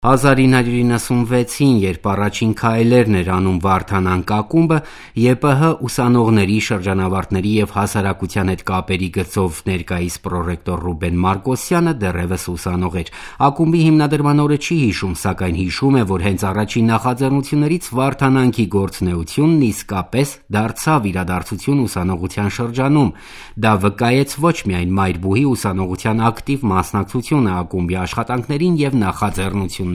1996-ին, երբ առաջին քայլերն էր անում Վարդանանք ակումբը, ԵՊՀ ուսանողների, շրջանավարտների և հասարակության հետ կապերի գծով ներկայիս պրոռեկտոր Ռուբեն Մարկոսյանը դեռևս ուսանող էր։ Ակումբի հիմնադրման օրը չի հիշում, սակայն հիշում է, որ հենց առաջին նախաձեռնություններից Վարդանանքի գործունեությունն իսկապես դարձավ իրադարձություն ուսանողության շրջանում։ Դա վկայեց ոչ միայն Մայրբուհի ուսանողության ակտիվ մասնակցությունը ակումբի աշխատանքներին և նախաձեռնություններին։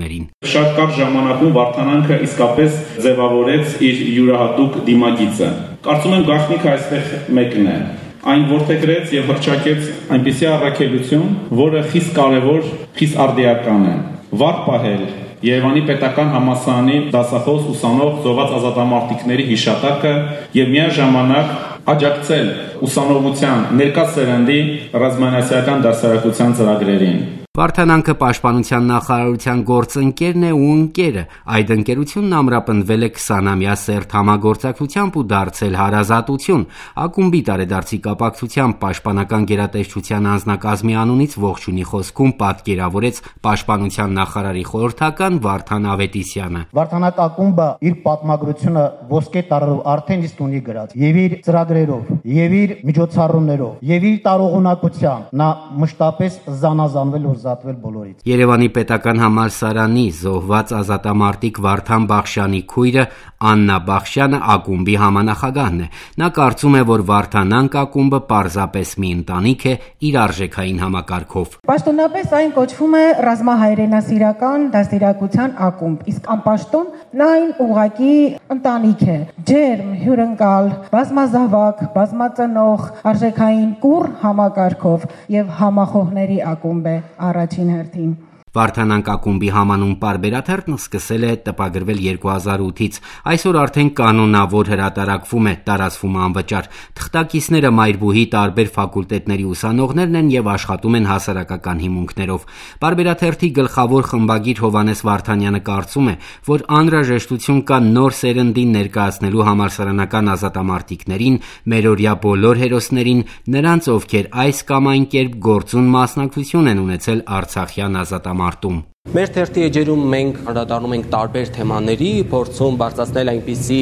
Շատ կարճ ժամանակում Վարդանանքը իսկապես ձևավորեց իր յուրահատուկ դիմագիծը։ Կարծում եմ գաղտնիքը այստեղ մեկն է։ Այն որդեգրեց եւ հռչակեց այնպիսի առաքելություն, որը խիստ կարևոր, խիստ արդիական է։ Վառ պահել Երևանի պետական համալսարանի դասախոս ուսանող զոհված ազատամարտիկների հիշատակը եւ միաժամանակ աջակցել ուսանողության ներկա սերնդի ռազմաընկերական դասարակության ծրագրերին։ Վարդանանքը պաշտպանության նախարարության գործընկերն է ու ընկերը։ Այդ ընկերությունն ամրապնդվել է 20-ամյա սերտ համագործակցությամբ ու դարձել հարազատություն։ Ակումբի տարեդարձի կապակցությամբ պաշտպանական գերատեսչության անձնակազմի անունից ողջույնի խոսքում պատկերավորեց պաշտպանության նախարարի խորհրդական Վարդան Ավետիսյանը։ Վարդանանք ակումբը իր պատմագրությունը ոսկե տարրով արդեն իսկ ունի գրած եւ իր ծրագրերով, եւ իր միջոցառումներով, եւ իր տարողունակությամբ նա մշտապես զանազանվել ու զատվել բոլորից։ Երևանի պետական համալսարանի զոհված ազատամարտիկ Վարդան Բախշյանի քույրը Աննա Բախշյանը ակումբի համանախագահն է։ Նա կարծում է, որ Վարդանանք ակումբը պարզապես մի ընտանիք է իր արժեքային համակարգով։ Պաշտոնապես այն կոչվում է ռազմահայրենասիրական դաստիարակության ակումբ, իսկ անպաշտոն նա այն ուղղակի ընտանիք է։ Ջերմ, հյուրընկալ, բազմազավակ, բազմածնող, արժեքային կուռ համակարգով եւ համախոհների ակումբ է առաջին հերթին։ Վարդանանք ակումբի համանուն պարբերաթերթն սկսել է տպագրվել 2008-ից, այսօր արդեն կանոնավոր հրատարակվում է, տարածվում անվճար։ Թղթակիցները Մայրբուհի տարբեր ֆակուլտետների ուսանողներն են եւ աշխատում են հասարակական հիմունքներով։ Պարբերաթերթի գլխավոր խմբագիր Հովհաննես Վարդանյանը կարծում է, որ անհրաժեշտություն կա նոր սերնդին ներկայացնելու համալսարանական ազատամարտիկներին, մերօրյա բոլոր հերոսներին, նրանց, ովքեր այս կամ այն կերպ գործուն մասնակցություն են ունեցել Արցախյան ազատամարտում։ Մեր թերթի էջերում մենք անդրադառնում ենք տարբեր թեմաների, փորձում բարձրացնել այնպիսի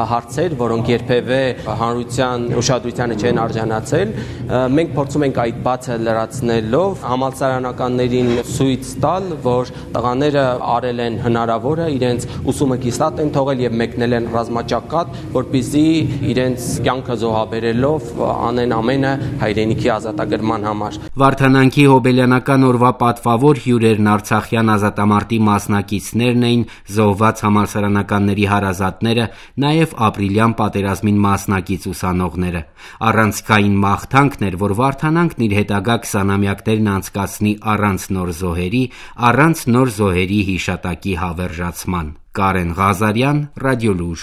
հարցեր, որոնք երբևէ հանրության ուշադրությանը չեն արժանացել։ Մենք փորձում ենք այդ բացը լրացնելով համալսարանականներին ցույց տալ, որ տղաները արել են հնարավորը, իրենց ուսումը կիսատ են թողել եւ մեկնել են ռազմաճակատ, որպեսզի իրենց կյանքը զոհաբերելով անեն ամենը հայրենիքի ազատագրման համար։ Վարդանանքի հոբելյանական օրվա պատվավոր հյուրերն Արցախյան ազատամարտի մասնակիցներն էին, զոհված համալսարանականների հարազատները, նաև ապրիլյան պատերազմին մասնակից ուսանողները։ Առանցքային մաղթանքն էր, որ Վարդանանքն իր հետագա 20-ամյակներն անցկացնի առանց նոր զոհերի, առանց նոր զոհերի հիշատակի հավերժացման։ Կարեն Ղազարյան, Ռադիոլուժ։